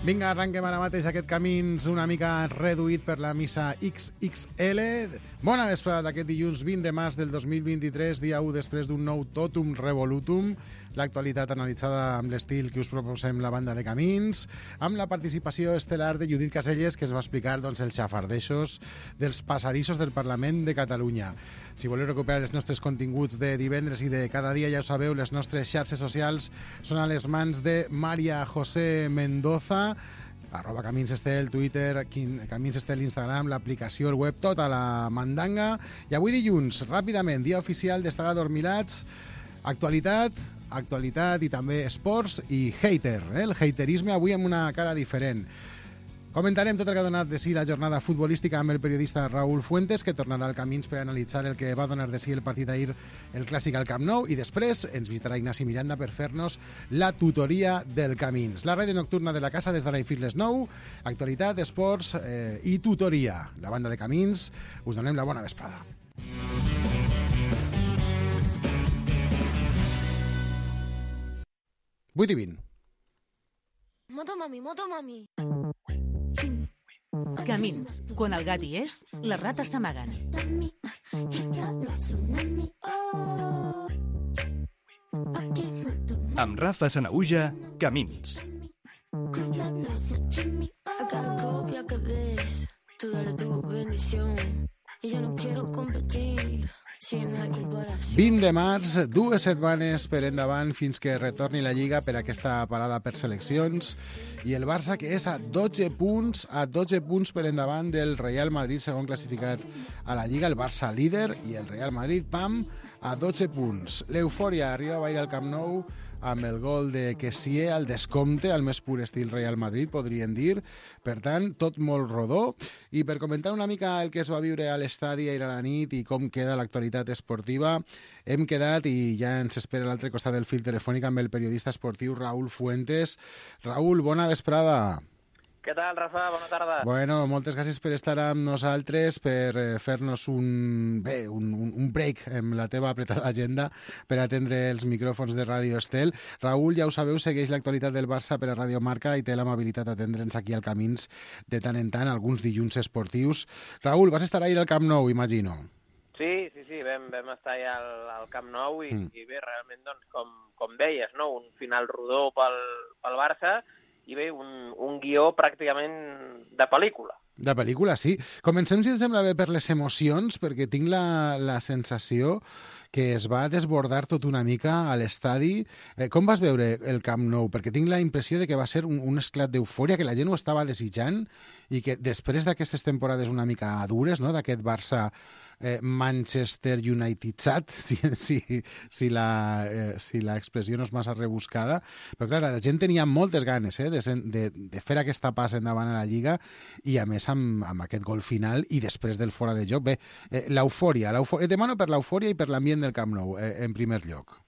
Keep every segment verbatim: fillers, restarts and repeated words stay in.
Vinga, arrenquem ara mateix aquest camins una mica reduït per la missa X X L. Bona vesprada d'aquest dilluns vint de març del dos mil vint-i-tres, dia u després d'un nou Totum Revolutum. L'actualitat analitzada amb l'estil que us proposem la banda de Camins, amb la participació estel·lar de Judit Caselles, que ens va explicar doncs, els xafardeixos dels passadissos del Parlament de Catalunya. Si voleu recuperar els nostres continguts de divendres i de cada dia, ja ho sabeu, les nostres xarxes socials són a les mans de Maria José Mendoza, arroba Camins Estel, Twitter, Camins Estel, Instagram, l'aplicació, el web, tota la mandanga. I avui dilluns, ràpidament, dia oficial d'estar adormilats, actualitat, actualitat i també esports i hater, eh? El haterisme avui amb una cara diferent. Comentarem tot el que ha donat de si la jornada futbolística amb el periodista Raúl Fuentes, que tornarà al Camins per analitzar el que va donar de si el partit ahir, el clàssic al Camp Nou, i després ens visitarà Ignasi Miranda per fer-nos la tutoria del Camins. La ràdio nocturna de la casa des d'ara i fins les nou, actualitat, esports eh, i tutoria. La banda de Camins, us donem la bona vesprada. vuit i vint. Moto mami, moto mami. Camins. Quan el gat hi és, les rates s'amaguen. Amb Rafa Sanahuja, Camins. vint de març, dues setmanes per endavant fins que retorni la Lliga per aquesta parada per seleccions, i el Barça, que és a dotze punts, a dotze punts per endavant del Real Madrid, segon classificat a la Lliga, el Barça líder, i el Real Madrid, pam, a dotze punts. L'eufòria arriba a bailar al Camp Nou amb el gol de Kessié al descompte, al més pur estil Real Madrid, podríem dir. Per tant, tot molt rodó. I per comentar una mica el que es va viure a l'estadi ahir a la nit i com queda l'actualitat esportiva, hem quedat, i ja ens espera a l'altre costat del fil telefònic, amb el periodista esportiu Raúl Fuentes. Raúl, bona vesprada. Què tal, Rafa? Bona tarda. Bueno, moltes gràcies per estar amb nosaltres, per eh, fer-nos un, bé, un, un break amb la teva apretada agenda per atendre els micròfons de Ràdio Estel. Raúl, ja ho sabeu, segueix l'actualitat del Barça per a Ràdio Marca i té l'amabilitat d'atendre'ns aquí al Camins de tant en tant, alguns dilluns esportius. Raúl, vas estar ahir al Camp Nou, imagino. Sí, sí, sí, vam, vam estar allà al, al Camp Nou i, mm. i bé, realment, doncs, com, com deies, no? Un final rodó pel, pel Barça, i bé, un, un guió pràcticament de pel·lícula. De pel·lícula, sí. Comencem, si et sembla bé, per les emocions, perquè tinc la, la sensació que es va desbordar tot una mica a l'estadi. Eh, com vas veure el Camp Nou? Perquè tinc la impressió de que va ser un, un esclat d'eufòria, que la gent ho estava desitjant, i que després d'aquestes temporades una mica dures, no?, d'aquest Barça eh, Manchester Unitedzat, si, si, si la eh, si l'expressió no és massa rebuscada, però clar, la gent tenia moltes ganes eh, de, de, de fer aquesta passa endavant a la Lliga, i a més amb, amb aquest gol final i després del fora de joc. Bé, eh, l'eufòria, l'eufòria, demano per l'eufòria i per l'ambient del Camp Nou, eh, en primer lloc.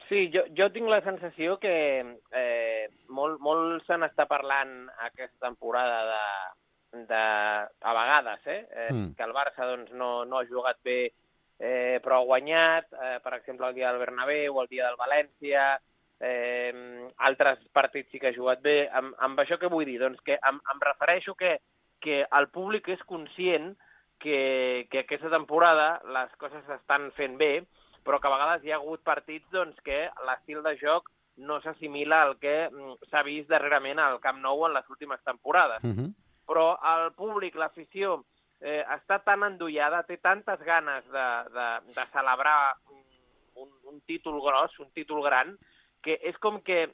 Sí, jo, jo tinc la sensació que eh, molt, molt se n'està parlant aquesta temporada de, de a vegades, eh, eh mm. que el Barça doncs, no, no ha jugat bé, eh, però ha guanyat, eh, per exemple, el dia del Bernabéu o el dia del València, eh, altres partits sí que ha jugat bé. Amb, amb això què vull dir? Doncs que em, em refereixo que, que el públic és conscient que, que aquesta temporada les coses s'estan fent bé, però que a vegades hi ha hagut partits doncs, que l'estil de joc no s'assimila al que s'ha vist darrerament al Camp Nou en les últimes temporades. Uh-huh. Però el públic, l'afició, eh, està tan endollada, té tantes ganes de, de, de celebrar un, un títol gros, un títol gran, que és com que,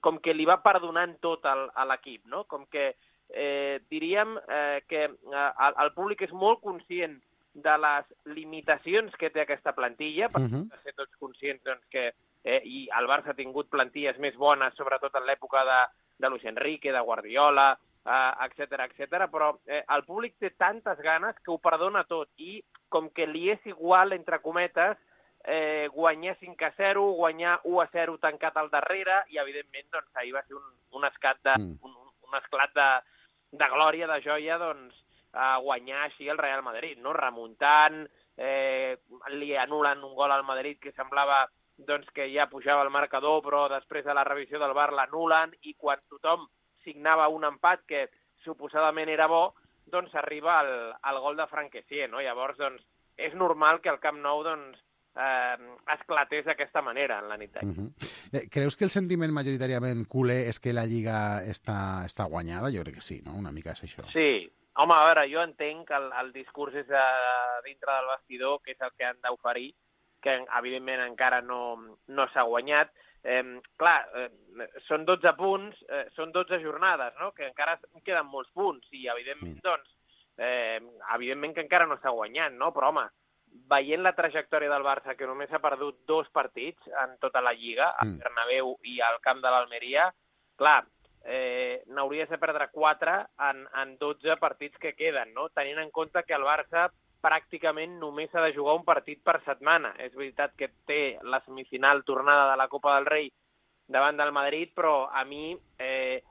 com que li va perdonant tot al, a l'equip, no? Com que eh, diríem eh, que eh, el, el públic és molt conscient de les limitacions que té aquesta plantilla, perquè uh-huh. ser tots conscients doncs, que eh, i el Barça ha tingut plantilles més bones, sobretot en l'època de, de Luis Enrique, de Guardiola, eh, etcètera, etcètera, però eh, el públic té tantes ganes que ho perdona tot, i com que li és igual, entre cometes, eh, guanyar cinc a zero, guanyar u a zero tancat al darrere, i evidentment doncs, ahir va ser un, un, esclat de, mm. un, un esclat de, de glòria, de joia, doncs, a guanyar així el Real Madrid, no? Remuntant, eh, li anulen un gol al Madrid que semblava doncs, que ja pujava el marcador, però després de la revisió del V A R l'anulen, i quan tothom signava un empat que suposadament era bo, doncs arriba el, el gol de Frank Kessié, no? Llavors, doncs, és normal que el Camp Nou, doncs, eh, esclatés d'aquesta manera en la nit d'ahir. Uh-huh. Creus que el sentiment majoritàriament culer és que la Lliga està, està guanyada? Jo crec que sí, no? Una mica és això. Sí. Home, a veure, jo entenc que el, el discurs és de, dintre del vestidor, que és el que han d'oferir, que evidentment encara no, no s'ha guanyat. Eh, clar, eh, són dotze punts, eh, són dotze jornades, no? Que encara queden molts punts, i evidentment, doncs, eh, evidentment que encara no s'ha guanyat, no? Però, home, veient la trajectòria del Barça, que només ha perdut dos partits en tota la Lliga, al Bernabéu i al camp de l'Almeria, clar, eh, n'hauries de perdre quatre en, en dotze partits que queden, no? Tenint en compte que el Barça pràcticament només ha de jugar un partit per setmana. És veritat que té la semifinal tornada de la Copa del Rei davant del Madrid, però a mi, eh,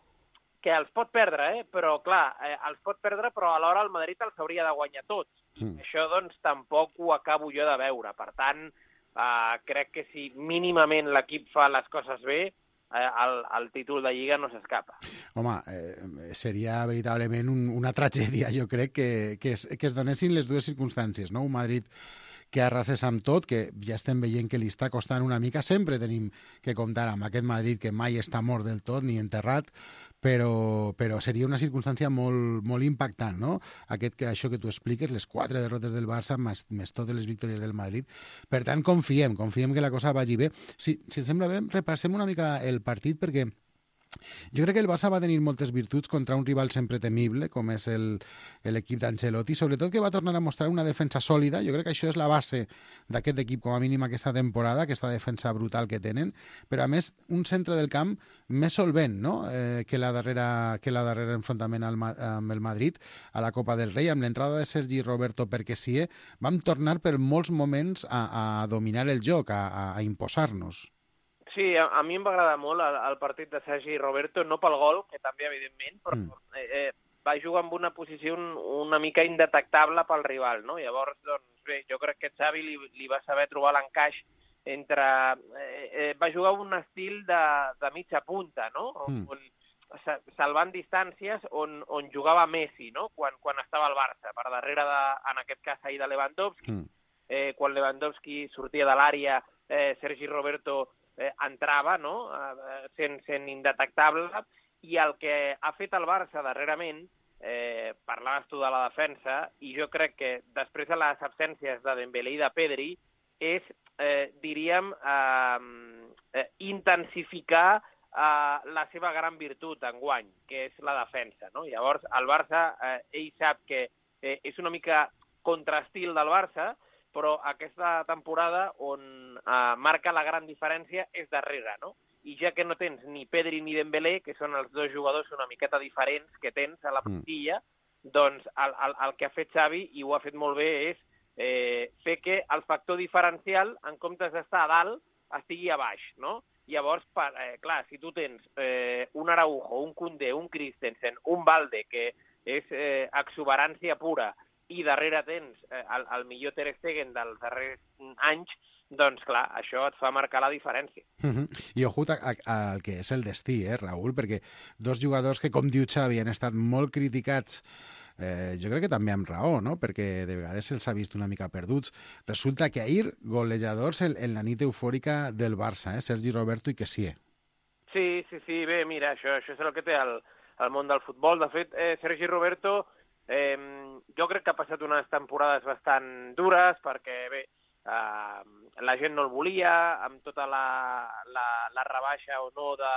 que els pot perdre, eh? Però clar, eh, els pot perdre, però alhora el Madrid els hauria de guanyar tots. Mm. Això, doncs, tampoc ho acabo jo de veure. Per tant, eh, crec que si mínimament l'equip fa les coses bé, El, el títol de Lliga no s'escapa. Home, eh, seria veritablement un, una tragèdia, jo crec, que, que, es, que es donessin les dues circumstàncies, no? Un Madrid que arrasés amb tot, que ja estem veient que li està costant una mica. Sempre tenim que comptar amb aquest Madrid que mai està mort del tot ni enterrat, però, però seria una circumstància molt, molt impactant, no? Aquest, que, això que tu expliques, les quatre derrotes del Barça més, més totes les victòries del Madrid. Per tant, confiem, confiem que la cosa vagi bé. Si, si et sembla bé, repassem una mica el partit, perquè jo crec que el Barça va tenir moltes virtuts contra un rival sempre temible, com és l'equip d'Ancelotti, sobretot que va tornar a mostrar una defensa sòlida. Jo crec que això és la base d'aquest equip, com a mínim aquesta temporada, aquesta defensa brutal que tenen, però a més un centre del camp més solvent, no? eh, que, la darrera, que la darrera enfrontament al, amb el Madrid a la Copa del Rei. Amb l'entrada de Sergi Roberto per Kessié vam tornar per molts moments a, a dominar el joc, a, a imposar-nos. Sí, a, a mi em va agradar molt el, el partit de Sergi Roberto, no pel gol, que també, evidentment, però mm. eh, eh, va jugar en una posició un, una mica indetectable pel rival, no? Llavors, doncs, bé, jo crec que Xavi li, li va saber trobar l'encaix entre... Eh, eh, va jugar un estil de, de mitja punta, no? Mm. On, salvant distàncies, on, on jugava Messi, no? Quan, quan estava al Barça, per darrere, de, en aquest cas, ahir de Lewandowski. Mm. Eh, quan Lewandowski sortia de l'àrea, eh, Sergi Roberto Eh, entrava, no? eh, sent, sent indetectable, i el que ha fet el Barça darrerament, eh, parlaves tu de la defensa, i jo crec que després de les absències de Dembélé i de Pedri, és, eh, diríem, eh, eh, intensificar eh, la seva gran virtut enguany, que és la defensa, no? Llavors, el Barça, eh, ell sap que eh, és una mica contrastil del Barça, però aquesta temporada on eh, marca la gran diferència és darrere, no? I ja que no tens ni Pedri ni Dembélé, que són els dos jugadors una miqueta diferents que tens a la plantilla, mm. doncs el, el, el que ha fet Xavi, i ho ha fet molt bé, és eh, fer que el factor diferencial, en comptes d'estar a dalt, estigui a baix, no? Llavors, per, eh, clar, si tu tens eh, un Araujo, un Koundé, un Christensen, un Balde, que és eh, exuberància pura, i darrere tens eh, el, el millor Ter Stegen dels darrers anys, doncs clar, això et fa marcar la diferència. Uh-huh. I ojut al que és el destí, eh, Raül, perquè dos jugadors que, com diu Xavi, han estat molt criticats, eh, jo crec que també amb raó, no? Perquè de vegades se'ls ha vist una mica perduts. Resulta que ahir, golejadors en, en la nit eufòrica del Barça, eh? Sergi Roberto i Kessié. Sí, sí, sí, bé, mira, això, això és el que té el, el món del futbol. De fet, eh, Sergi Roberto Eh, jo crec que ha passat unes temporades bastant dures perquè, bé, eh, la gent no el volia, amb tota la, la, la rebaixa o no de,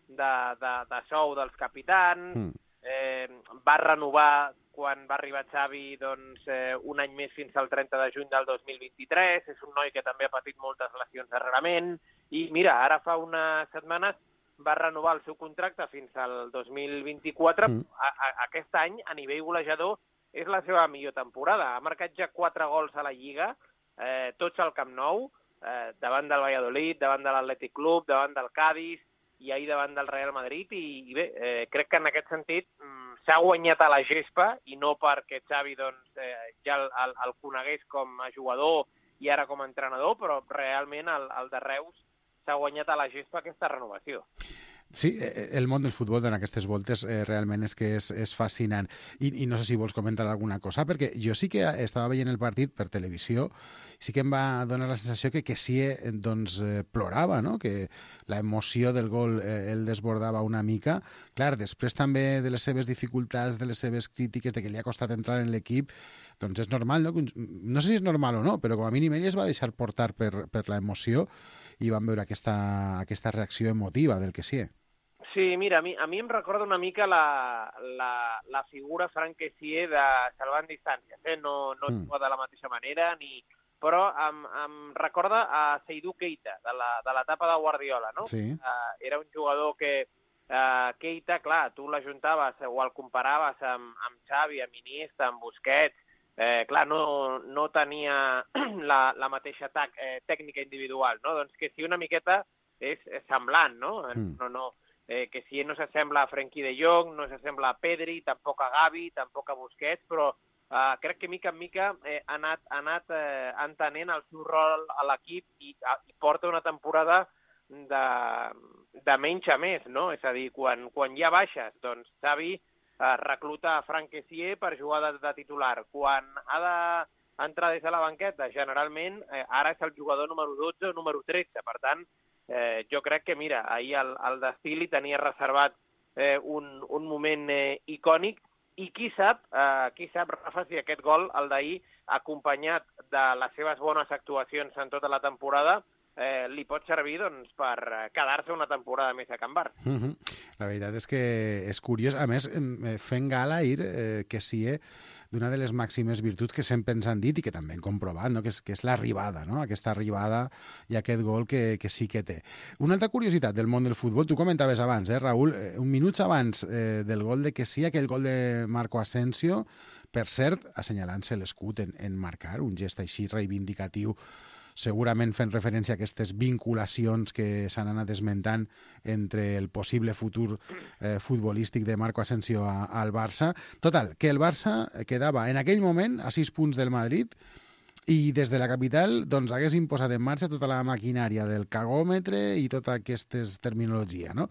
de, de, de sou dels capitans, mm. eh, va renovar quan va arribar Xavi, doncs, eh, un any més fins al trenta de juny del dos mil vint-i-tres, és un noi que també ha patit moltes lesions darrerament, i mira, ara fa unes setmanes va renovar el seu contracte fins al dos mil vint-i-quatre. Mm. A, a, aquest any, a nivell golejador, és la seva millor temporada. Ha marcat ja quatre gols a la Lliga, eh, tots al Camp Nou, eh, davant del Valladolid, davant de l'Atlètic Club, davant del Cádiz i ahir davant del Real Madrid. I, i bé, eh, crec que en aquest sentit mm, s'ha guanyat a la gespa, i no perquè Xavi doncs, eh, ja el, el, el conegués com a jugador i ara com a entrenador, però realment el, el de Reus s'ha guanyat a la gespa aquesta renovació. Sí, el món del futbol en aquestes voltes eh, realment és que és, és fascinant. I, I no sé si vols comentar alguna cosa, perquè jo sí que estava veient el partit per televisió, sí que em va donar la sensació que Kessie doncs, eh, plorava, no? Que la emoció del gol eh, el desbordava una mica. Clar, després també de les seves dificultats, de les seves crítiques, de que li ha costat entrar en l'equip, doncs és normal, no? No sé si és normal o no, però com a mínim ell es va deixar portar per, per la emoció i van veure aquesta, aquesta reacció emotiva del Kessie. Sí, mira, a mi, a mi em recorda una mica la, la, la figura Frank Kessie de salvant distàncies. Eh? No, no mm. juga de la mateixa manera, ni... però em, em recorda a Seydou Keita, de la, de l'etapa de Guardiola, no? Sí. Uh, era un jugador que uh, Keita, clar, tu l'ajuntaves o el comparaves amb, amb Xavi, amb Iniesta, amb Busquets, eh, clar, no, no tenia la, la mateixa tac, eh, tècnica individual, no? Doncs que sí, una miqueta és, és semblant, no? Mm. No, no. Eh, que si no s'assembla a Frenkie de Jong, no s'assembla a Pedri, tampoc a Gavi, tampoc a Busquets, però eh, crec que mica en mica eh, ha anat, ha anat eh, entenent el seu rol a l'equip i, i porta una temporada de, de menys a més, no? És a dir, quan, quan hi ha baixes, doncs Xavi eh, recluta a Frank Kessie per jugar de, de titular. Quan ha d'entrar des de la banqueta, generalment, eh, ara és el jugador número dotze o número tretze, per tant, Eh, jo crec que, mira, ahir el, el destí li tenia reservat eh, un, un moment eh, icònic i qui sap, eh, qui sap, Rafa, si aquest gol, el d'ahir, acompanyat de les seves bones actuacions en tota la temporada, eh, li pot servir doncs, per quedar-se una temporada més a Can Barça. Mm-hmm. La veritat és que és curiós. A més, fent gala ahir, eh, que sí, eh, d'una de les màximes virtuts que sempre ens han dit i que també hem comprovat, no? que, és, que és l'arribada, no? Aquesta arribada i aquest gol que, que sí que té. Una altra curiositat del món del futbol, tu comentaves abans, eh, Raül, eh, un minuts abans eh, del gol de que sí, aquell gol de Marco Asensio, per cert, assenyalant-se l'escut en, en marcar, un gest així reivindicatiu, segurament fent referència a aquestes vinculacions que s'han anat esmentant entre el possible futur eh, futbolístic de Marco Asensio a, al Barça. Total, que el Barça quedava en aquell moment a sis punts del Madrid i des de la capital doncs, haguessin posat en marxa tota la maquinària del cagòmetre i tota aquesta terminologia, no?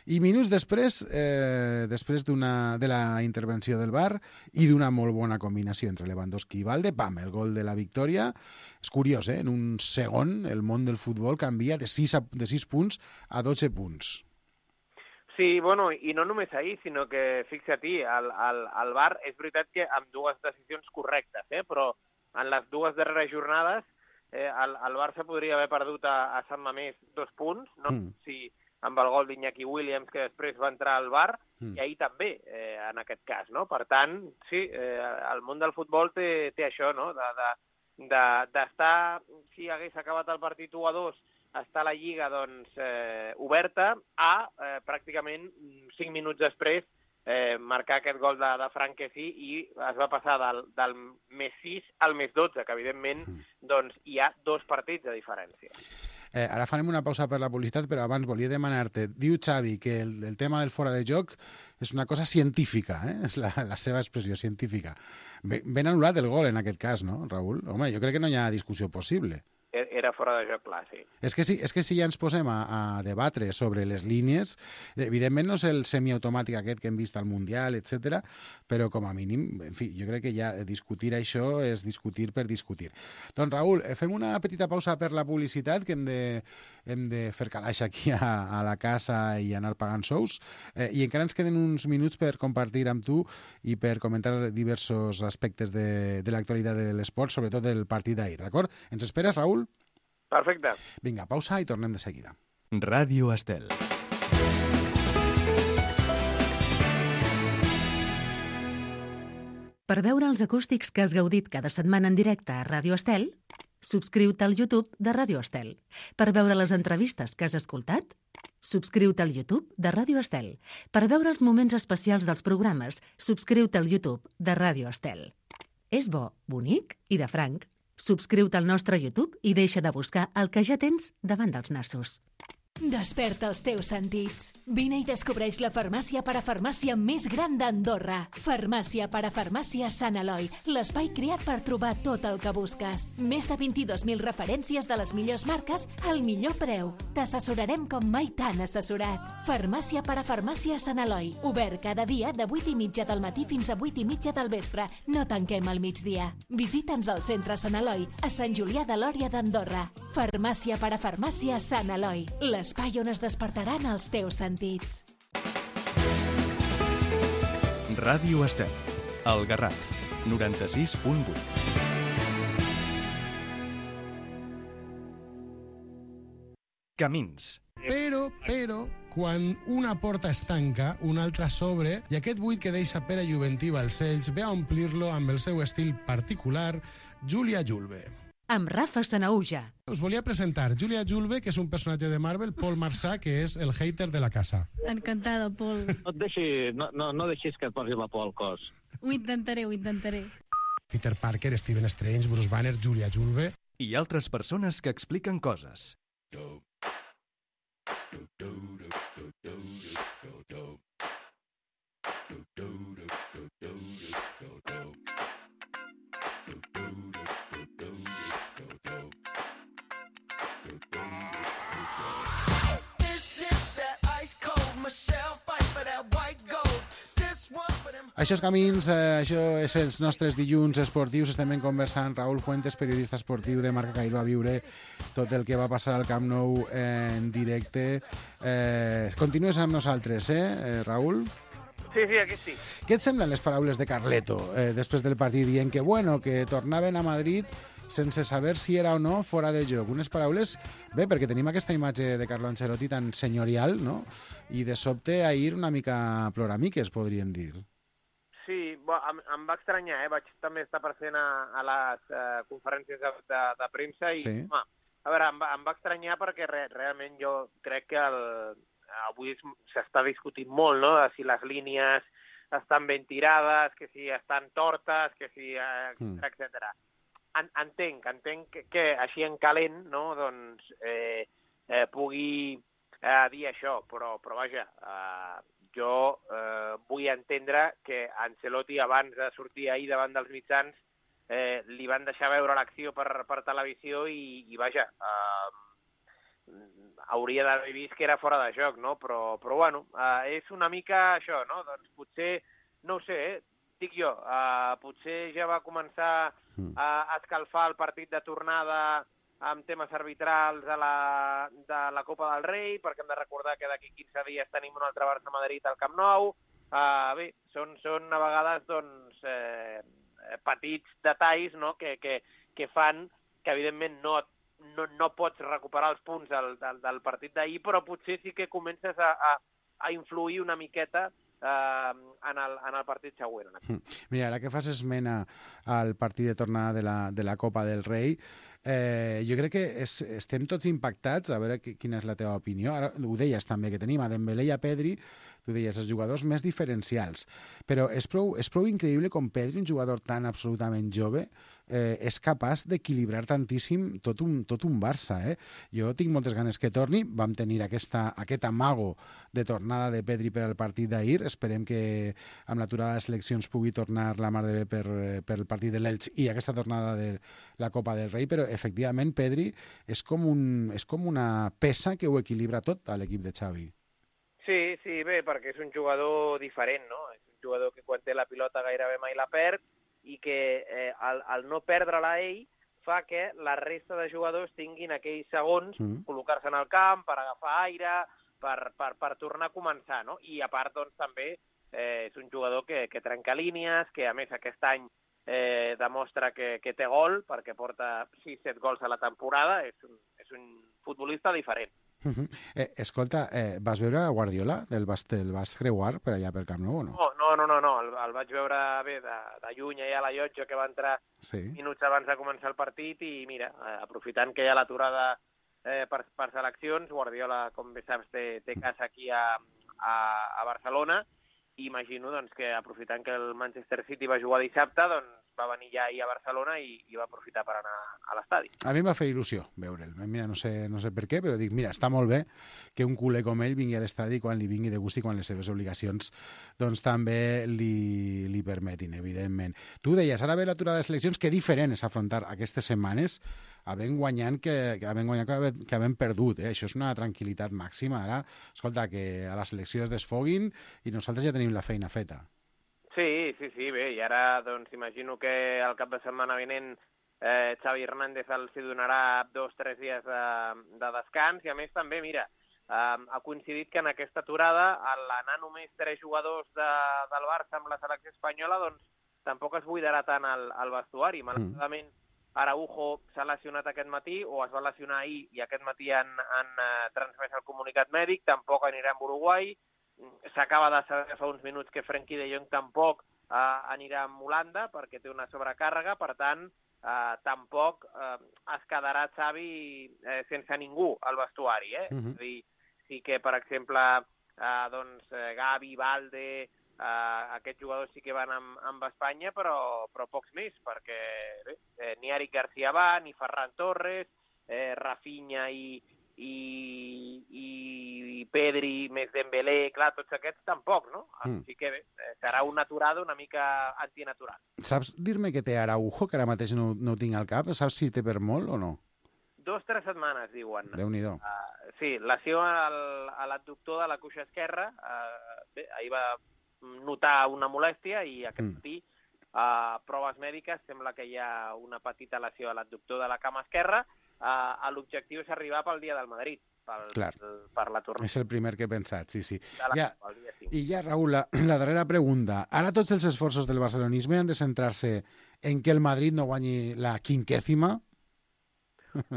I minuts després, eh, després d'una de la intervenció del V A R i d'una molt bona combinació entre Lewandowski i Valde, pam, el gol de la victòria. És curiós, eh? En un segon el món del futbol canvia de sis, a, de sis punts a dotze punts. Sí, bueno, i no només ahir, sinó que, fixa-t'hi, al, al, al V A R és veritat que amb dues decisions correctes, eh? Però en les dues darreres jornades eh, el, el Barça podria haver perdut a, a Sant Mamés dos punts, no? Mm. Si amb el gol d'Iñaki Williams, que després va entrar al V A R, mm. i ahir també, eh, en aquest cas, no? Per tant, sí, eh, el món del futbol té, té això, no? De, de, de, d'estar, si hagués acabat el partit u a dos, està la Lliga doncs, eh, oberta, a eh, pràcticament cinc minuts després eh, marcar aquest gol de, de Frank Kessie i es va passar del, del més sis al més dotze, que evidentment doncs, hi ha dos partits de diferència. Eh, ara farem una pausa per la publicitat, però abans volia demanar-te, diu Xavi que el, el tema del fora de joc és una cosa científica, eh? És la, la seva expressió científica. Ben, ben anul·lat el gol en aquest cas, no, Raül? Home, jo crec que no hi ha discussió possible. Era fora de joc clar, sí. És que si, és que si ja ens posem a, a debatre sobre les línies, evidentment no és el semiautomàtic aquest que hem vist al Mundial, etcètera, però com a mínim, en fi, jo crec que ja discutir això és discutir per discutir. Doncs Raül, fem una petita pausa per la publicitat, que hem de, hem de fer calaix aquí a, a la casa i anar pagant sous, eh, i encara ens queden uns minuts per compartir amb tu i per comentar diversos aspectes de, de l'actualitat de l'esport, sobretot del partit d'ahir, d'acord? Ens esperes, Raül? Perfecte. Vinga, pausa i tornem de seguida. Ràdio Estel. Per veure els acústics que has gaudit cada setmana en directe a Ràdio Estel, subscriu-te al YouTube de Ràdio Estel. Per veure les entrevistes que has escoltat, subscriu-te al YouTube de Ràdio Estel. Per veure els moments especials dels programes, subscriu-te al YouTube de Ràdio Estel. És bo, bonic i de franc. Subscriu-te al nostre YouTube i deixa de buscar el que ja tens davant dels nassos. Desperta els teus sentits. Vine i descobreix la farmàcia parafarmàcia més gran d'Andorra. Farmàcia parafarmàcia Sant Eloi, l'espai creat per trobar tot el que busques. Més de vint-i-dos mil referències de les millors marques al millor preu. T'assessorarem com mai t'han assessorat. Farmàcia parafarmàcia Sant Eloi, obert cada dia de vuit i mitja del matí fins a vuit i mitja del vespre. No tanquem al migdia. Visita'ns al centre Sant Eloi, a Sant Julià de Lòria d'Andorra. Farmàcia parafarmàcia Sant Eloi, l'espai on es despertaran els teus sentits. Ràdio Estel, El Garraf, noranta-sis punt vuit. Camins. Però, però, quan una porta es tanca, una altra s'obre, i aquest buit que deixa Pere Juventí Balcells ve a omplir-lo amb el seu estil particular, Júlia Julve. Amb Rafa Sanahuja. Us volia presentar Júlia Julve, que és un personatge de Marvel, Paul Marsà, que és el hater de la casa. Encantada, Paul. No et deixi, no, no, no deixis que et posi la por al cos. Ho intentaré, ho intentaré. Peter Parker, Stephen Strange, Bruce Banner, Júlia Julve... I altres persones que expliquen coses. Això és Camins, eh, això és els nostres dilluns esportius. Estem conversant Raúl Fuentes, periodista esportiu de Marca Cairo, a viure tot el que va passar al Camp Nou en directe. Eh, continues amb nosaltres, eh, Raúl? Sí, sí, aquí sí. Què et semblen les paraules de Carleto eh, després del partit dient que, bueno, que tornaven a Madrid sense saber si era o no fora de joc? Unes paraules, bé, perquè tenim aquesta imatge de Carlo Ancelotti tan senyorial, no? I de sobte ahir una mica ploramiques, podríem dir. Sí, bo, em, em va estranyar, eh? Vaig també estar present a, a les eh, conferències de, de, de premsa i, sí. home, a veure, em va, em va estranyar perquè re, realment jo crec que el, avui s'està discutint molt, no?, de si les línies estan ben tirades, que si estan tortes, que si... Eh, mm. etcètera. En, entenc, entenc que, que així en calent, no?, doncs eh, eh, pugui eh, dir això, però, però vaja... Eh, jo eh, vull entendre que Ancelotti, abans de sortir ahir davant dels mitjans, eh, li van deixar veure l'acció per, per televisió i, i vaja, eh, hauria d'haver vist que era fora de joc, no? Però, però bueno, eh, és una mica això, no? Doncs potser, no ho sé, eh, dic jo, eh, potser ja va començar a escalfar el partit de tornada amb temes arbitrals de la, de la Copa del Rei, perquè hem de recordar que d'aquí quinze dies tenim un altre Barça-Madrid al Camp Nou. Uh, bé, són, són a vegades doncs, eh, petits detalls, no?, que, que, que fan que evidentment no, no, no pots recuperar els punts del, del, del partit d'ahir, però potser sí que comences a, a, a influir una miqueta Uh, en, el, en el partit següent. Mira, ara que fas esmena al partit de tornada de la, de la Copa del Rei, eh, jo crec que és, estem tots impactats, a veure quina és la teva opinió. Ara ho deies també, que tenim a Dembélé i a Pedri, tu deies, els jugadors més diferencials, però és prou, és prou increïble com Pedri, un jugador tan absolutament jove, eh, és capaç d'equilibrar tantíssim tot un, tot un Barça. Eh? Jo tinc moltes ganes que torni, vam tenir aquesta, aquest amago de tornada de Pedri per al partit d'ahir, esperem que amb l'aturada de seleccions pugui tornar la mar de bé per, per el partit de l'Elx i aquesta tornada de la Copa del Rei, però efectivament Pedri és com, un, és com una peça que ho equilibra tot a l'equip de Xavi. Sí, sí, bé, perquè és un jugador diferent, no? És un jugador que quan té la pilota gairebé mai la perd i que eh, al, al no perdre-la ell fa que la resta de jugadors tinguin aquells segons mm. col·locar-se en el camp per agafar aire, per, per, per tornar a començar, no? I a part, doncs, també eh, és un jugador que, que trenca línies, que a més aquest any eh, demostra que, que té gol, perquè porta sis set gols a la temporada, és un, és un futbolista diferent. Uh -huh. eh, escolta, eh, vas veure a Guardiola? El vas, el vas creuar per allà per Camp Nou o no? No, no, no, no. El, el vaig veure bé de, de lluny allà a la llotja, que va entrar sí. minuts abans de començar el partit i mira, eh, aprofitant que hi ha l'aturada eh, per, per seleccions, Guardiola, com bé saps, té, té casa aquí a, a, a Barcelona i imagino doncs, que aprofitant que el Manchester City va jugar dissabte, doncs va venir ja ahir a Barcelona i, i va aprofitar per anar a l'estadi. A mi em va fer il·lusió veure'l. Mira, no sé, no sé per què, però dic, mira, està molt bé que un culer com ell vingui a l'estadi quan li vingui de gust i quan les seves obligacions doncs també li, li permetin, evidentment. Tu deies, ara ve l'aturada de seleccions, que diferent és afrontar aquestes setmanes havent guanyant que, que havent guanyat que havent, que havent perdut. Eh? Això és una tranquil·litat màxima. Ara, escolta, que a la selecció es desfoguin i nosaltres ja tenim la feina feta. Sí, sí, sí, bé, i ara doncs imagino que al cap de setmana vinent eh, Xavi Hernández els hi donarà dos o tres dies de, de descans i a més també, mira, eh, ha coincidit que en aquesta aturada l'anar només tres jugadors de, del Barça amb la selecció espanyola doncs tampoc es buidarà tant el, el vestuari. Malauradament, Araujo s'ha lesionat aquest matí o es va lesionar ahir i aquest matí han, han eh, transmès el comunicat mèdic, tampoc anirà amb Uruguai. S'acaba de saber fa uns minuts que Frenkie de Jong tampoc eh, anirà amb Holanda perquè té una sobrecàrrega, per tant, eh, tampoc eh, es quedarà Xavi eh, sense ningú al vestuari. Eh? Uh-huh. És a dir, sí que, per exemple, eh, doncs, Gavi, Valde, Uh, aquests jugadors sí que van amb, amb Espanya, però, però pocs més, perquè bé, eh, ni Eric Garcia va, ni Ferran Torres, eh, Rafinha i, i, i, i Pedri, més Dembélé, clar, tots aquests tampoc, no? Mm. Així que bé, eh, serà una aturada una mica antinatural. Saps dir-me que té Araujo, que ara mateix no, no ho tinc al cap? Saps si té per molt o no? Dos, tres setmanes, diuen. Déu-n'hi-do. Uh, sí, lesió al, a l'adductor de la cuixa esquerra, uh, bé, ahir va notar una molèstia i aquest mm. matí a uh, proves mèdiques sembla que hi ha una petita lesió a l'adductor de la cama esquerra. Uh, l'objectiu és arribar pel dia del Madrid, pel, Clar. per la tornada. És el primer que he pensat, sí, sí. La, ja, I ja, Raül, la, la darrera pregunta. Ara tots els esforços del barcelonisme han de centrar-se en que el Madrid no guanyi la quinquècima?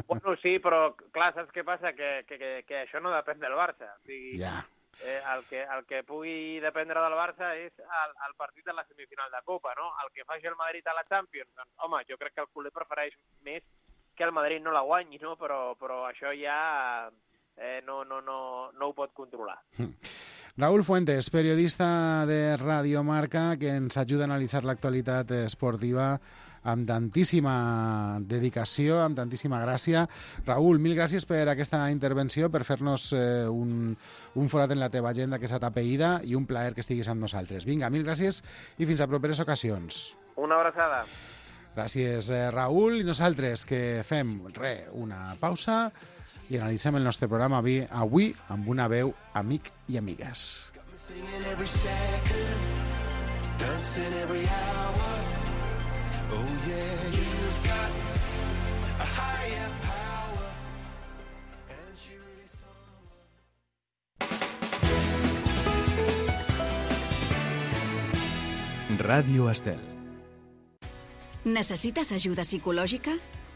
Bueno, sí, però clar, saps què passa? Que, que, que, que això no depèn del Barça. O sigui, ja. Eh, el, que, el que pugui dependre del Barça és el, el partit de la semifinal de Copa, no? El que faci el Madrid a la Champions, doncs, home, jo crec que el culer prefereix més que el Madrid no la guanyi, no? Però, però això ja eh, no, no, no, no ho pot controlar. Raúl Fuentes, periodista de Radio Marca, que ens ajuda a analitzar l'actualitat esportiva amb tantíssima dedicació, amb tantíssima gràcia. Raúl, mil gràcies per aquesta intervenció, per fer-nos eh, un, un forat en la teva agenda que s'ha tapeïda i un plaer que estiguis amb nosaltres. Vinga, mil gràcies i fins a properes ocasions. Una abraçada. Gràcies, eh, Raúl. I nosaltres que fem, re, una pausa i analitzem el nostre programa avui, avui amb una veu amic i amigues. Oh yeah, you've got a higher power and she really saw. Ràdio Estel. Necessites ajuda psicològica?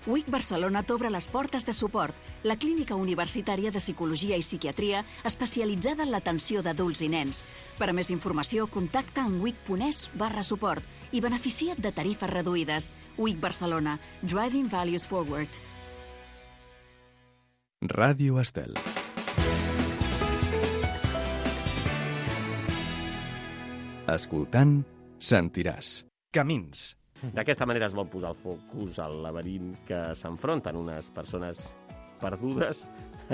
U I C Barcelona t'obre les portes de suport, la clínica universitària de psicologia i psiquiatria especialitzada en l'atenció d'adults i nens. Per a més informació, contacta en wic.es barra suport i beneficia't de tarifes reduïdes. U I C Barcelona. Driving Values Forward. Ràdio Estel. Escoltant, sentiràs. Camins. D'aquesta manera es vol posar el focus al laberint que s'enfronten unes persones perdudes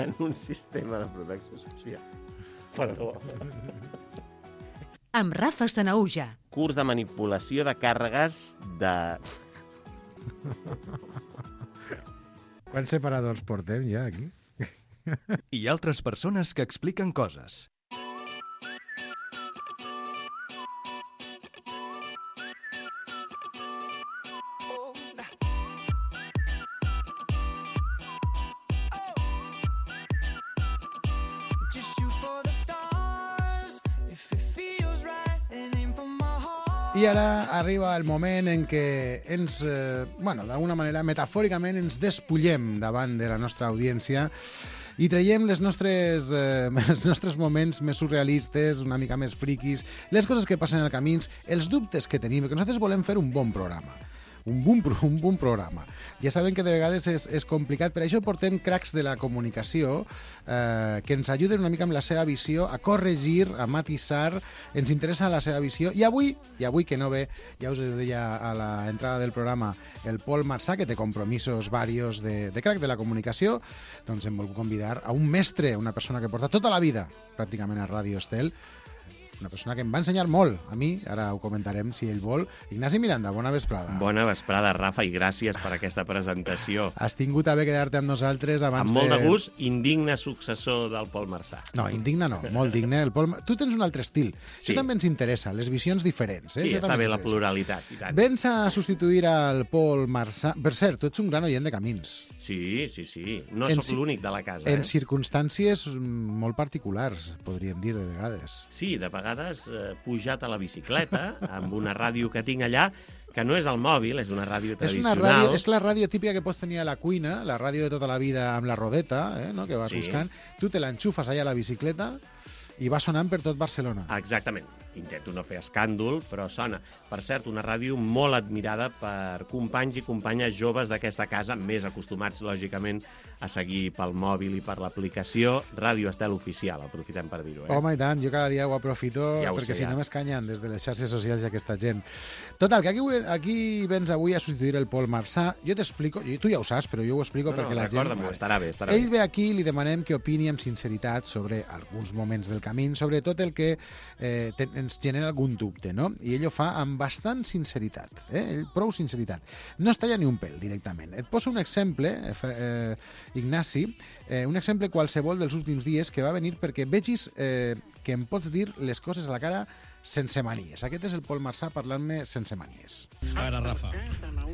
en un sistema de protecció social. Perdó. Amb Rafa Sanaúja. Curs de manipulació de càrregues de... Quants separadors portem ja aquí? I altres persones que expliquen coses. I ara arriba el moment en què ens, eh, bueno, d'alguna manera, metafòricament, ens despullem davant de la nostra audiència i traiem les nostres, eh, els nostres moments més surrealistes, una mica més friquis, les coses que passen al camins, els dubtes que tenim, que nosaltres volem fer un bon programa. un bon, un bon programa. Ja saben que de vegades és, és complicat, per això portem cracs de la comunicació eh, que ens ajuden una mica amb la seva visió a corregir, a matisar, ens interessa la seva visió. I avui, i avui que no ve, ja us deia a l'entrada del programa, el Pol Marsà, que té compromisos varios de, de crac de la comunicació, doncs em vol convidar a un mestre, una persona que porta tota la vida pràcticament a Ràdio Estel, una persona que em va ensenyar molt a mi, ara ho comentarem si ell vol. Ignasi Miranda, bona vesprada. Bona vesprada, Rafa, i gràcies per aquesta presentació. Has tingut a bé quedar-te amb nosaltres abans de... Amb molt de gust, indigne successor del Pol Marsà. No, indigne no, molt digne. El Pol... Tu tens un altre estil. Sí. Això també ens interessa, les visions diferents. Eh? Sí, Això està bé la pluralitat. I tant. Vens a substituir al Pol Marsà. Per cert, tu ets un gran oient de Camins. Sí, sí, sí. No En sóc ci- l'únic de la casa. En eh? circumstàncies molt particulars, podríem dir, de vegades. Sí, de vegades eh, pujat a la bicicleta amb una ràdio que tinc allà, que no és el mòbil, és una ràdio És, una tradicional. ràdio, és la ràdio típica que pots tenir a la cuina, la ràdio de tota la vida amb la rodeta, eh, no? que vas Sí. buscant. Tu te l'enxufes allà a la bicicleta i va sonant per tot Barcelona. Exactament. Intento no fer escàndol, però sona. Per cert, una ràdio molt admirada per companys i companyes joves d'aquesta casa, més acostumats, lògicament, a seguir pel mòbil i per l'aplicació Ràdio Estel Oficial, aprofitem per dir-ho. Eh? Home, i tant, jo cada dia ho aprofito, Ja ho perquè sé, si ja. no m'escanyen des de les xarxes socials aquesta gent. Total, que aquí, aquí vens avui a substituir el Pol Marsà. Jo t'explico, i tu ja ho saps, però jo ho explico No, no, perquè la gent... recorda-m'ho, estarà bé, estarà Ell bé. ve aquí i li demanem que opini amb sinceritat sobre alguns moments del camí, sobre tot el que eh, te, ens genera algun dubte, no? I ell ho fa amb bastant sinceritat, eh? Ell, prou sinceritat. No es talla ni un pèl, directament. Et poso un exemple, eh, eh, Ignasi, eh, un exemple qualsevol dels últims dies que va venir perquè vegis eh, que em pots dir les coses a la cara sense manies. Aquest és el Pol Marsà parlant-me sense manies. A veure, Rafa,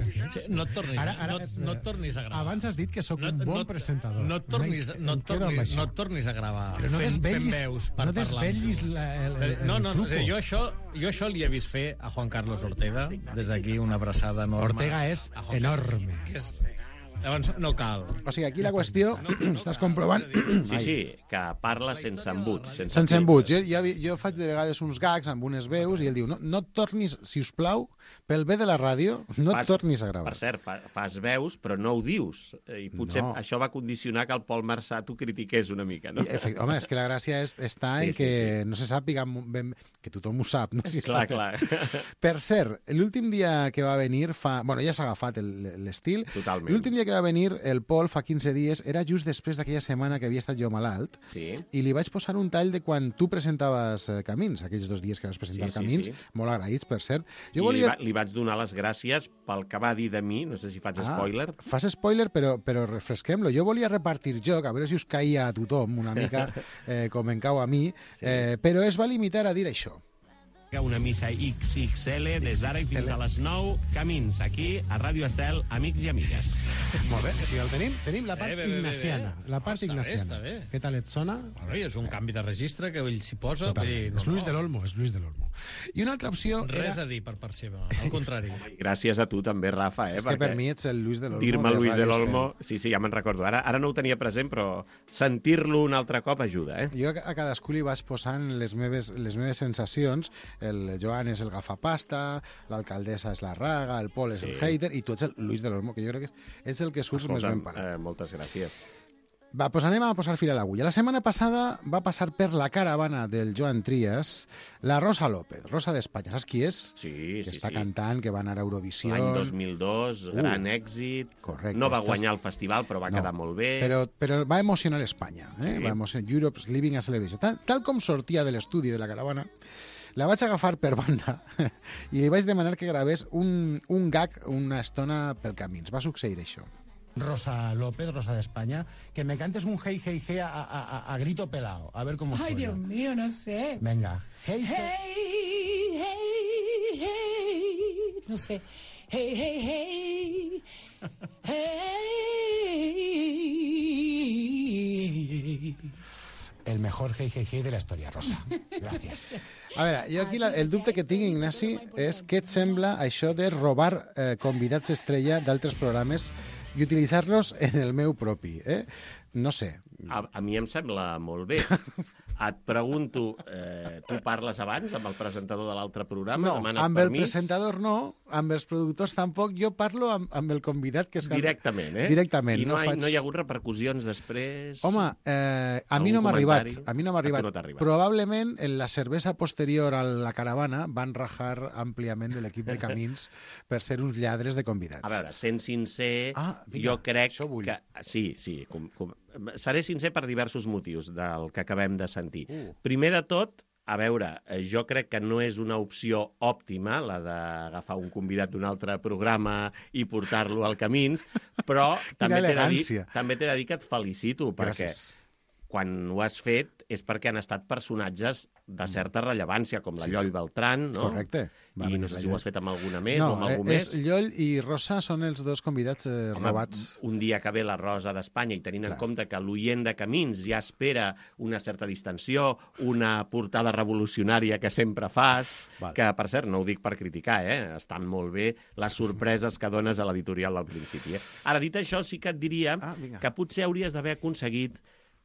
sí, no et tornis, Ara- ara no, és- no et tornis a gravar. Abans has dit que sóc un bon presentador. No et tornis, Em- no em et quedo amb tornis, això. no et tornis a gravar Però no fent, desvetllis- fent veus per no parlar. desvetllis la- el- el- no, el no, no, truco. o sigui, jo, això, jo això li he vist fer a Juan Carlos Ortega, des d'aquí una abraçada enorme. Ortega és A Juan enorme. Carlos, que és, llavors, no cal. O sigui, aquí la qüestió, estàs comprovant... Sí, sí, que parla sense embuts. Sense, Sense embuts. Jo, jo, jo faig de vegades uns gags amb unes veus i ell diu, no, no et tornis, si us plau, pel bé de la ràdio, no et tornis a gravar. Per cert, fa, fas veus, però no ho dius. I potser No. això va condicionar que el Pol Marsà t'ho critiqués una mica, no? I, efect, home, és que la gràcia és, està Sí, en sí, que no se sàpiga ben, que tothom ho sap. No? Si Clar, està- clar. Per cert, l'últim dia que va venir fa... Bueno, ja s'ha agafat el- l'estil. Totalment. L'últim dia que va venir el Pol fa quinze dies era just després d'aquella setmana que havia estat jo malalt Sí. i li vaig posar un tall de quan tu presentaves eh, Camins, aquells dos dies que vas presentar Sí, sí, Camins, sí. molt agraïts, per cert. I Jo li, volia... va, li vaig donar les gràcies pel que va dir de mi, no sé si faig spoiler. Ah, fas spoiler, però, però refresquem-lo. Jo volia repartir joc, a veure si us caia a tothom una mica eh, com em cau a mi, eh, però es va limitar a dir això. Una missa X X L des d'ara i fins a les nou, Camins, aquí a Ràdio Estel, amics i amigues. Molt bé, si el tenim, tenim la part Eh, bé, bé, bé, ignaciana. bé. La part Està bé, ignaciana. està bé. Què tal et sona? Bueno, i és un canvi de registre que ell s'hi posa. vull dir, Totalment. És Luis de l'Olmo, és Luis de l'Olmo. I una altra opció Res era... a dir per part seva, al contrari. Gràcies a tu també, Rafa. Eh, És que per mi ets el Luis de l'Olmo. dir-me de Luis de Ràdio l'Olmo, sí, sí, ja me'n recordo. Ara, ara no ho tenia present, però sentir-lo un altre cop ajuda, eh? Jo a cadascú li vaig posant les meves, les meves sensacions. El Joan és el gafapasta, l'alcaldessa és la raga, el Pol és Sí. el hater i tu ets el Luis de l'Olmo, que jo crec que és, és el que surts més ben parat. eh, moltes gràcies. Va, doncs anem a posar fil a l'agulla. La setmana passada va passar per la caravana del Joan Trias la Rosa López, Rosa d'Espanya. Saps qui és? Sí, que sí, està sí. cantant, que va anar a Eurovisió. L'any dos mil dos, Uh, gran èxit. correcte, No va estàs- guanyar el festival, però va No, quedar molt bé. Però, però va emocionar Espanya. Eh? Sí. Va emocionar Europe's Living a Celebration. Tal, tal com sortia de l'estudi de la caravana, la vaig agafar per banda i li vaig demanar que gravés un, un gag una estona pel camins. Va succeir això. Rosa López, Rosa de España, que me cantes un hey, hey, hey a, a, a grito pelado. A ver cómo suena. Ay, Dios mío, no sé. Venga. Hey, Hey, hey, hey. No sé. Hey, hey, hey. Hey. El mejor hey, hey, hey de la història, Rosa. Gràcies. A veure, jo aquí la, el dubte que tinc, Ignasi, és què et sembla això de robar eh, convidats estrella d'altres programes i utilitzar-los en el meu propi, eh? No sé. A, a mi em sembla molt bé. et pregunto, eh, tu parles abans amb el presentador de l'altre programa? No, Demanes amb permís? el presentador no, amb els productors tampoc. Jo parlo amb, amb el convidat que és... Directament, eh? Directament. I no, no, hi, faig... no hi ha hagut repercussions després? Home, eh, a Algun mi no m'ha arribat. comentari? A mi no m'ha A tu arribat. no t'ha arribat. Probablement en la cervesa posterior a la caravana van rajar àmpliament de l'equip de Camins per ser uns lladres de convidats. A veure, sent sincer, Ah, vinga, jo crec això vull. que... Sí, sí. Com, com... Seré sincer per diversos motius del que acabem de sentir. Uh. Primer de tot, a veure, eh, jo crec que no és una opció òptima la d'agafar un convidat d'un altre programa i portar-lo al Camins, però també t'he de, dir, també t'he de dir que et felicito, perquè Gràcies. quan ho has fet és perquè han estat personatges de certa rellevància, com la Sí. Lloll Beltrán, no? Correcte. Va I venir no sé la si ho Lloll. has fet amb alguna més no, o amb algú eh, més. és Lloll i Rosa són els dos convidats eh, Home, robats. un dia que ve la Rosa d'Espanya i tenint Clar. en compte que l'oient de Camins ja espera una certa distensió, una portada revolucionària que sempre fas, Val. que, per cert, no ho dic per criticar, eh? Estan molt bé les sorpreses que dones a l'editorial del principi. Eh? Ara, dit això, sí que et diria Ah, que potser hauries d'haver aconseguit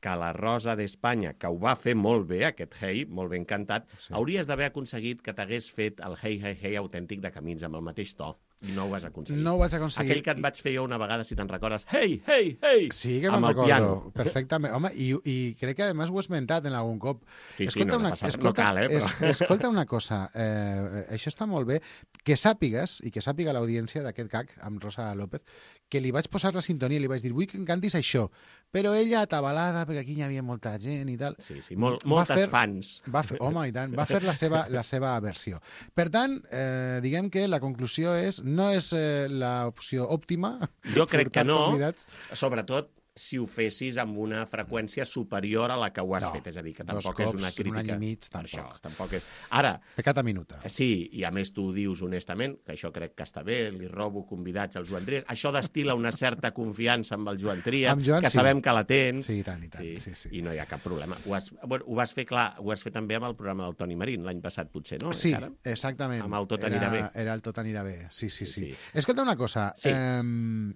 que la Rosa d'Espanya, que ho va fer molt bé, aquest Hey, molt ben cantat, sí. hauries d'haver aconseguit que t'hagués fet el Hey, Hey, Hey autèntic de Camins, amb el mateix to. No ho vas aconseguir. No ho vas aconseguir. Aquell que et vaig fer jo una vegada, si te'n recordes, Hey, Hey, Hey! Sí, que amb me'n el recordo. piano. Perfectament. Home, i, i crec que, a més, ho he esmentat en algun cop. Sí, sí, no, no passa res. No cal, eh, però- es, escolta una cosa, eh, això està molt bé, que sàpigues, i que sàpiga l'audiència d'aquest C A C amb Rosa López, que li vaig posar la sintonia i li vaig dir, vull que em cantis això, però ella atabalada, perquè aquí hi havia molta gent i tal... Sí, sí, molt, va moltes fer- fans. Va fer, home, i tant, va fer la seva, la seva versió. Per tant, eh, diguem que la conclusió és, no és eh, l'opció òptima... Jo crec que portar no, convidats. sobretot si ho fessis amb una freqüència superior a la que ho has No, fet. És a dir, que dos tampoc és cops una en un crítica. any i mig, per tampoc. Això, tampoc és... Ara, Pecat a minuta. sí, i a més tu ho dius honestament, que això crec que està bé, li robo convidats al Joan Trias. Això destila una certa confiança amb el Joan Trias, Amb Joan, que sí. sabem que la tens. Sí, i tant, i tant. Sí, sí. I no hi ha cap problema. Ho has, bueno, ho vas fer, clar, ho has fet també amb el programa del Toni Marín, l'any passat, potser, no? Sí, Encara? exactament. Amb el Tot era, anirà bé. Era el Tot anirà bé, sí, sí, sí. Sí, sí. Escolta una cosa, Sí. eh,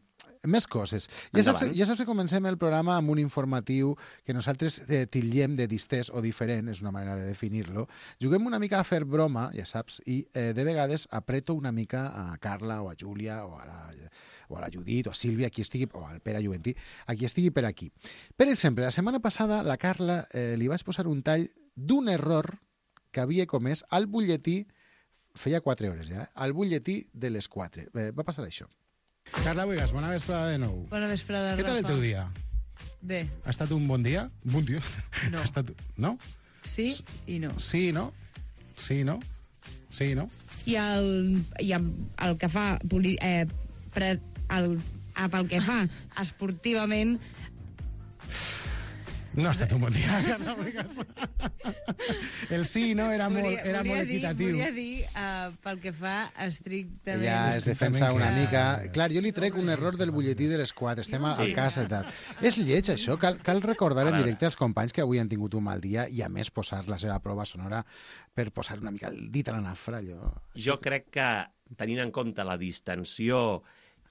més coses. Ja saps, Endavant. ja saps que comencem el programa amb un informatiu que nosaltres eh, titllem de distès o diferent, és una manera de definir-lo. Juguem una mica a fer broma, ja saps, i eh, de vegades apreto una mica a Carla o a Júlia o a la, o a la Judit o a Sílvia, qui estigui, o al Pere Juventí, a qui estigui per aquí. Per exemple, la setmana passada la Carla eh, li vaig posar un tall d'un error que havia comès al butlletí, feia quatre hores ja, eh? al butlletí de les quatre. Eh, va passar això. Carla Buigas, bona vesprada de nou. Bona vesprada, Què tal el Rafa. teu dia? Bé, Ha estat un bon dia? Un bon dia? No. Ha estat... No? sí i no. Sí, no? Sí, no? Sí, no? I el, i el, el que fa... Poli, eh, pre, el, ah, pel que fa esportivament... No ha estat un bon dia, Carla Buigas. El sí, no, era molt, volia, era volia molt dir, equitatiu. volia dir uh, pel que fa estrictament... Ja es defensa una que- mica... Clar, jo li trec un error del butlletí de les quatre. Estem a, a casa i tal. És lleig, això. Cal, cal recordar A en veure. directe als companys que avui han tingut un mal dia i, a més, posar la seva prova sonora per posar una mica el dit a la nafra, allò... Jo crec que, tenint en compte la distensió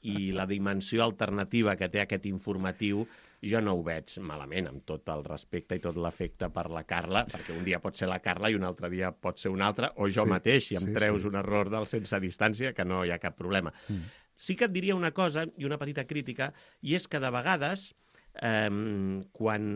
i la dimensió alternativa que té aquest informatiu, jo no ho veig malament, amb tot el respecte i tot l'afecte per la Carla, perquè un dia pot ser la Carla i un altre dia pot ser un altre, o jo Sí, mateix, i em sí, treus sí. un error del sense distància, que no hi ha cap problema. Mm. Sí que et diria una cosa, i una petita crítica, i és que de vegades, eh, quan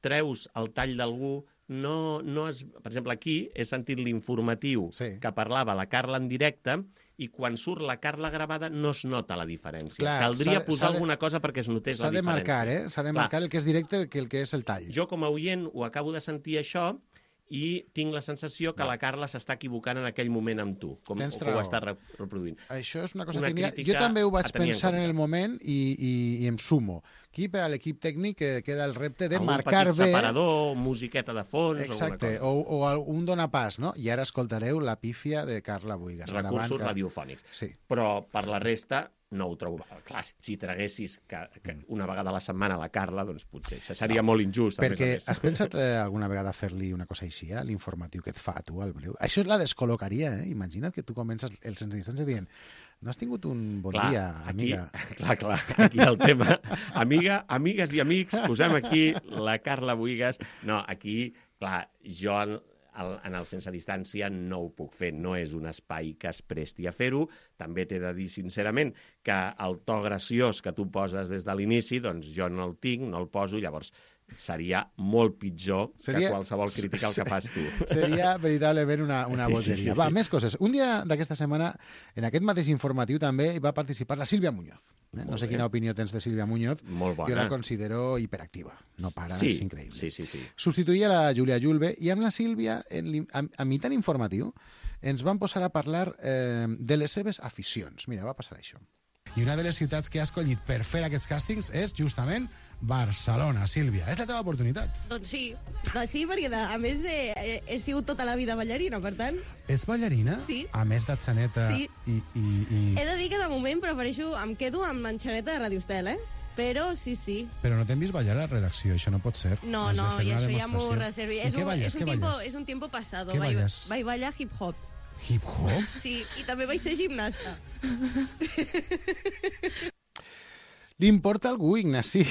treus el tall d'algú, no, no es... Per exemple, aquí he sentit l'informatiu Sí. que parlava la Carla en directe i quan surt la Carla gravada no es nota la diferència. Clar, Caldria s'ha de- posar s'ha de- alguna cosa perquè es notés la S'ha de diferència. marcar, eh? S'ha de Clar, marcar el que és directe que el que és el tall. jo com a oient ho acabo de sentir això i tinc la sensació que la Carla s'està equivocant en aquell moment amb tu, com Tens que ho raó. està re- reproduint. Això és una cosa Una tècnica. crítica Jo també ho vaig a tenir en pensar en, compte. el moment i, i, i em sumo. Aquí, per a l'equip tècnic, eh, queda el repte de Algun marcar petit bé... separador, musiqueta de fons, Exacte, alguna cosa. o, o un donapàs, no? I ara escoltareu la pífia de Carla Buigas. Recursos Endavant, Car- radiofònics. Sí. Però per la resta no ho trobo... Clar, si traguessis que, que una vegada a la setmana la Carla, doncs potser seria No, molt injust. a Perquè més a més. has pensat eh, alguna vegada fer-li una cosa així, eh, l'informatiu que et fa a tu, al breu? Això la descol·locaria, eh? Imagina't que tu comences el sense distància dient no has tingut un bon Clar, dia, aquí, amiga. Clar, clar, aquí el tema. Amiga, amigues i amics, posem aquí la Carla Buigas. No, aquí Clar, jo en, en el sense distància no ho puc fer, no és un espai que es presti a fer-ho. També t'he de dir sincerament que el to graciós que tu poses des de l'inici, doncs jo no el tinc, no el poso, llavors seria molt pitjor seria... que qualsevol crítica al que fas tu. Seria veritablement una, una sí, bogeria. Sí, sí, Va, sí. més coses. Un dia d'aquesta setmana, en aquest mateix informatiu també hi va participar la Sílvia Muñoz. Eh? No sé bé. quina opinió tens de Sílvia Muñoz. Molt bona. Jo la considero hiperactiva. No para, sí, és increïble. Sí, sí, sí. Substituïa la Júlia Julve i amb la Sílvia, en, a, a mitjan informatiu, ens van posar a parlar eh, de les seves aficions. Mira, va passar això. I una de les ciutats que ha escollit per fer aquests càstings és justament Barcelona. Sílvia, és la teva oportunitat. Doncs sí, doncs sí, perquè de, a més he, he, he sigut tota la vida ballarina, per tant... Ets ballarina? Sí. A més d'Atxaneta Sí. i, i, i... He de dir que de moment prefereixo, em quedo amb l'enxaneta de Radio Estel, eh? Però sí, sí. Però no t'hem vist ballar a la redacció, això no pot ser. No, Has de no, fer i una això ja m'ho demostració. reservi. I És què un, balles? és, un Què tiempo, balles? és un tiempo pasado. Què Vaig, balles? vaig ballar hip-hop. Hip-hop? Sí, i també vaig ser gimnasta. Li importa a algú, Ignasi,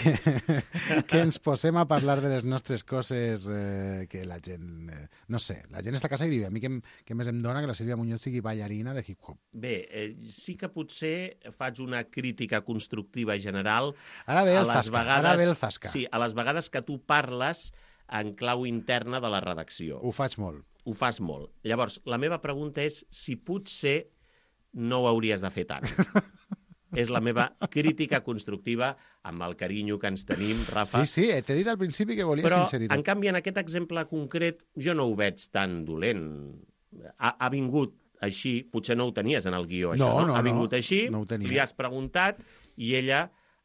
que ens posem a parlar de les nostres coses eh, que la gent... Eh, no sé, la gent està a casa i diu a mi que, que més em dona que la Sílvia Muñoz sigui ballarina de hip-hop. Bé, eh, sí que potser faig una crítica constructiva general Ara ve el a les zasca, vegades... ara ve el zasca. Sí, a les vegades que tu parles en clau interna de la redacció. Ho faig molt. Ho fas molt. Llavors, la meva pregunta és si potser no ho hauries de fer tant. És la meva crítica constructiva amb el carinyo que ens tenim, Rafa. Sí, sí, t'he dit al principi que volia Però, sinceritat. en canvi, en aquest exemple concret, jo no ho veig tan dolent. Ha, ha vingut així, potser no ho tenies en el guió, això, No, no? no, ha vingut no, així, no ho tenia. li has preguntat i ella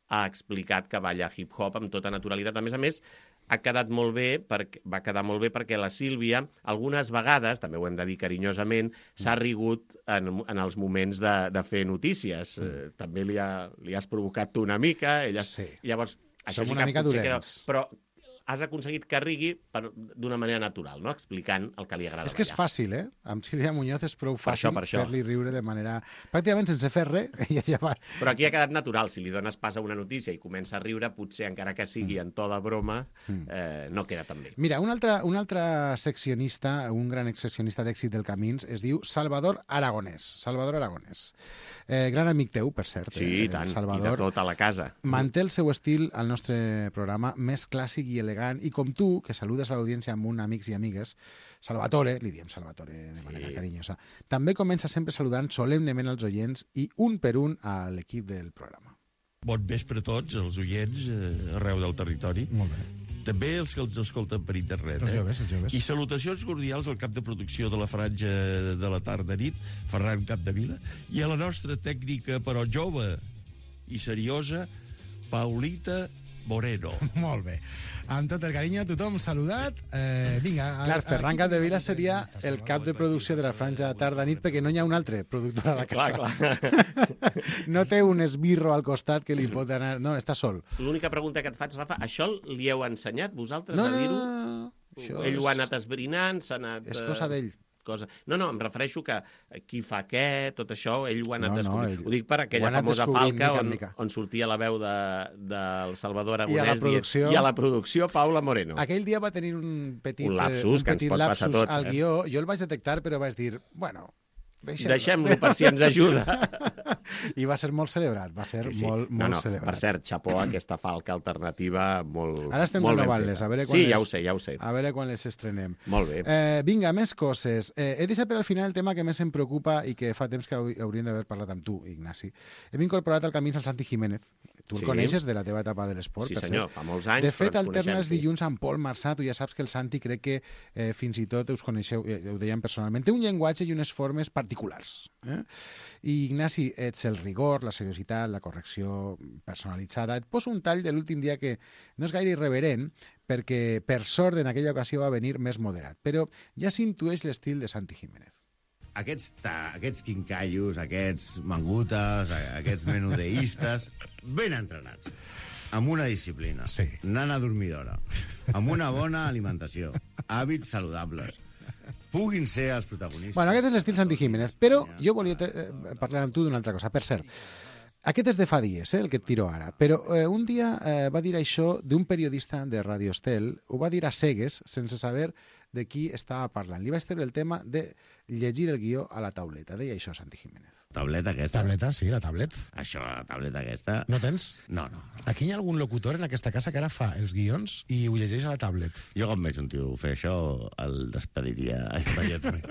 ha explicat que balla hip-hop amb tota naturalitat. A més a més, ha quedat molt bé, perquè, va quedar molt bé perquè la Sílvia, algunes vegades, també ho hem de dir carinyosament, s'ha rigut en, en els moments de, de fer notícies. Mm. Eh, també li, ha, li has provocat tu una mica. Ella, Sí. Llavors, això Som sí una que mica potser dolents. queda, però has aconseguit que rigui per- d'una manera natural, no? Explicant el que li agrada És que és ballar. fàcil, eh? Amb Sílvia Muñoz és prou Per fàcil això, per això. fer-li riure de manera... Pràcticament sense fer res, ella ja va... Però aquí ha quedat natural. Si li dones pas a una notícia i comença a riure, potser, encara que sigui en to de broma, eh, no queda tan bé. Mira, un altre, un altre seccionista, un gran seccionista d'èxit del Camins, es diu Salvador Aragonès. Salvador Aragonès. Eh, gran amic teu, per cert. Sí, eh, i tant. Salvador. I de tot a la casa. Manté el seu estil al nostre programa més clàssic i elegant, i com tu, que saludes a l'audiència amb un amics i amigues, Salvatore, li diem Salvatore de manera Sí. carinyosa, també comença sempre saludant solemnement els oients i un per un a l'equip del programa. Bon vespre a tots, els oients, eh, arreu del territori. Molt bé. També els que els escolten per internet. Els eh? joves, els joves. I salutacions cordials al cap de producció de la franja de la tarda-nit, Ferran Capdevila, i a la nostra tècnica, però jove i seriosa, Paulita Moreno. Molt bé. Amb tot el carinyo, tothom saludat. Eh, vinga. A, Clar, Ferran aquí- Capdevila seria el cap de producció de la franja tarda-nit perquè no hi ha un altre productor a la casa. Clar, No té un esbirro al costat que li pot anar... No, està sol. L'única pregunta que et faig, Rafa, això li heu ensenyat vosaltres No, a no, dir-ho? no, no. Això Ell és- ho ha anat esbrinant, s'ha anat... És eh, cosa d'ell. Cosa... No, no, em refereixo que qui fa què, tot això, ell ho ha anat No, no, descobrint. ell- Ho dic per ho aquella ha anat famosa descobrint falca mica en on, mica. on sortia la veu de, del Salvador I a la Aragonès dient- producció- i a la producció Paula Moreno. Aquell dia va tenir un petit, Un eh, lapsus un que ens petit pot passar a lapsus tots, al eh? guió. Jo el vaig detectar, però vaig dir, bueno, deixem-lo. Deixem-lo per si ens ajuda. I va ser molt celebrat, va ser Sí, sí. molt, no, molt no, celebrat. per cert, xapó a aquesta falca alternativa molt Ara estem molt ben renovant-les, feta. a veure quan Sí, les... ja ho sé, ja ho sé. A veure quan les estrenem. Molt bé. Eh, vinga, més coses. Eh, he deixat per al final el tema que més em preocupa i que fa temps que hau- hauríem d'haver parlat amb tu, Ignasi. Hem incorporat al Camins el Santi Jiménez. Tu el Sí. coneixes de la teva etapa de l'esport, Sí, per senyor, cert. fa molts anys, De però fet, ens alterna coneixem, els sí. dilluns amb Pol Marçà. Tu ja saps que el Santi crec que eh, fins i tot us coneixeu, eh, ho dèiem personalment, té un llenguatge i unes formes particulars. Eh? I, Ignasi, ets el rigor, la seriositat, la correcció personalitzada. Et poso un tall de l'últim dia que no és gaire irreverent, perquè, per sort, en aquella ocasió va venir més moderat. Però ja s'intueix l'estil de Santi Jiménez. Aquests, ta, aquests quincallos, aquests mangutes, a- aquests menudeistes, ben entrenats, amb una disciplina, sí. nana dormidora, amb una bona alimentació, hàbits saludables, puguin ser els protagonistes. Bueno, aquest és l'estil Santi Jiménez, però jo volia eh, parlar amb tu d'una altra cosa. Per cert, Aquest és de fa dies, eh, el que et tiro ara, però eh, un dia eh, va dir això d'un periodista de Radio Estel, ho va dir a cegues, sense saber de qui estava parlant. Li vaig treure el tema de llegir el guió a la tauleta. Deia això, Santi Jiménez. Tableta aquesta? Tableta, sí, la tablet. Això, la tableta aquesta... No tens? No, no. Aquí hi ha algun locutor en aquesta casa que ara fa els guions i ho llegeix a la tablet. Jo quan veig un tio fer això, el despediria immediatament.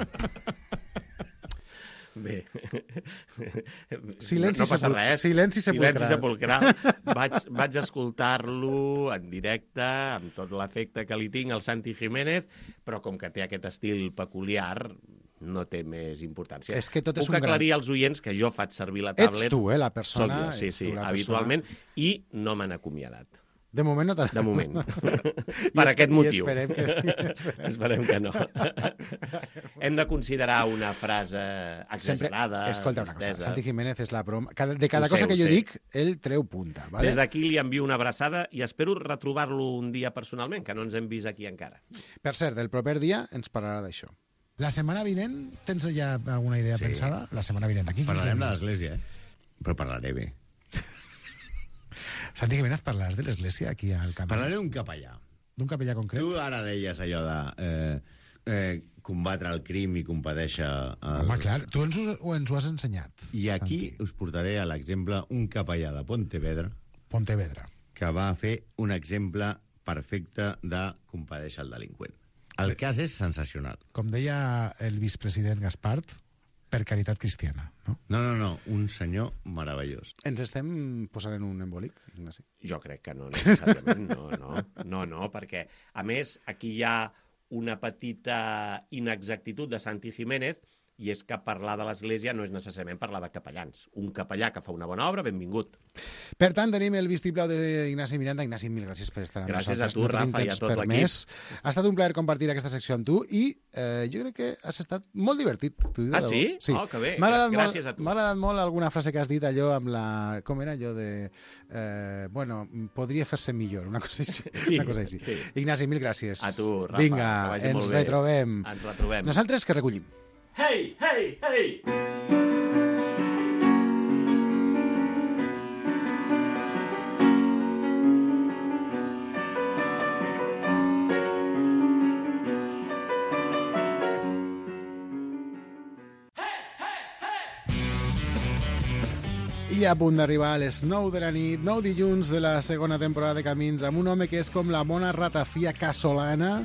Bé. Silenci no, no passa sepul... res. Silenci sepulcral. Silenci sepulcral. Vaig, vaig escoltar-lo en directe, amb tot l'efecte que li tinc al Santi Jiménez, però com que té aquest estil peculiar, no té més importància. És que tot és Puc un aclarir gran... als oients que jo faig servir la tablet... Ets tu, eh, la persona... Soc jo, sí, sí, tu, habitualment, persona... i no m'han acomiadat. De moment no t'han... De moment. Per aquest motiu. I esperem que... esperem. esperem que no. Hem de considerar una frase exagerada. Sempre... Escolta una cosa, Santi Jiménez és la broma... Cada... De cada ho cosa sé, que jo sé. dic, ell treu punta. Vale? Des d'aquí li envio una abraçada i espero retrobar-lo un dia personalment, que no ens hem vist aquí encara. Per cert, el proper dia ens parlarà d'això. La setmana vinent, tens ja alguna idea Sí. pensada? La setmana vinent, aquí. Parlarem de l'església, eh? Però parlaré bé. Santi Jiménez, parlaràs de l'església aquí al Camp. Parlaré d'un capellà. D'un capellà concret? Tu ara deies allò de eh, eh, combatre el crim i compadèixer... El... Home, clar, tu ens ho, o ens ho has ensenyat. I aquí Santi. Us portaré a l'exemple un capellà de Pontevedra Pontevedra. que va fer un exemple perfecte de compadèixer el delinqüent. El cas és sensacional. Com deia el vicepresident Gaspart, per caritat cristiana, no? No, no, no, un senyor meravellós. Ens estem posant en un embolic, Ignasi? Jo crec que no, necessàriament. No, no, no, no, perquè, a més, aquí hi ha una petita inexactitud de Santi Jiménez, i és que parlar de l'Església no és necessàriament parlar de capellans. Un capellà que fa una bona obra, benvingut. Per tant, tenim el vistiplau d'Ignasi Miranda. Ignasi, mil gràcies per estar amb gràcies nosaltres. Gràcies a tu, no Rafa, i a tot l'equip. Ha estat un plaer compartir aquesta secció amb tu i eh, jo crec que has estat molt divertit. Ah, sí? sí. Oh, que bé. M'ha agradat, gràcies molt, a tu. m'ha agradat molt alguna frase que has dit allò amb la... Com era allò de... Eh, bueno, podria fer-se millor, una cosa així. Sí, una cosa així. sí. Ignasi, mil gràcies. A tu, Rafa, Vinga, que vagi ens molt bé. retrobem. Ens retrobem. Nosaltres que recollim. Hey, hey, hey! I a punt d'arribar a les nou de la nit, nou dilluns de la segona temporada de Camins, amb un home que és com la mona ratafia casolana,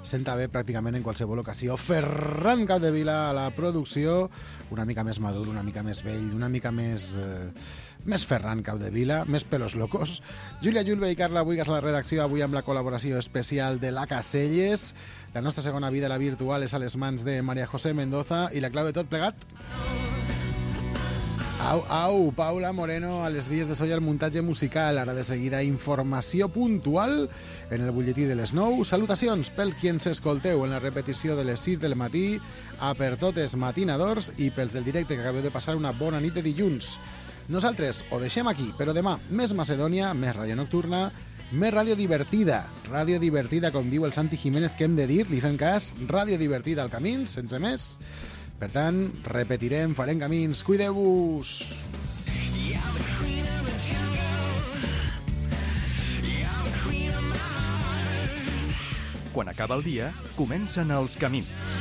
senta bé pràcticament en qualsevol ocasió. Ferran Capdevila a la producció, una mica més madur, una mica més vell, una mica més... Eh, més Ferran Capdevila, més pelos locos. Júlia Julve i Carla Buigas a la redacció, avui amb la col·laboració especial de la Caselles. La nostra segona vida, la virtual, és a les mans de María José Mendoza i la clau de tot plegat... Au, au, Paula Moreno a les vies de so i al muntatge musical. Ara de seguida informació puntual en el butlletí de les nou. Salutacions pel qui ens escolteu en la repetició de les sis del matí, a per totes matinadors i pels del directe que acabeu de passar una bona nit de dilluns. Nosaltres ho deixem aquí, però demà més Macedònia, més ràdio nocturna, més ràdio divertida. Ràdio divertida, com diu el Santi Jiménez, que hem de dir, li fem cas, ràdio divertida al Camins, sense més. Per tant, repetirem, farem camins, cuideu-vos! Quan acaba el dia, comencen els camins.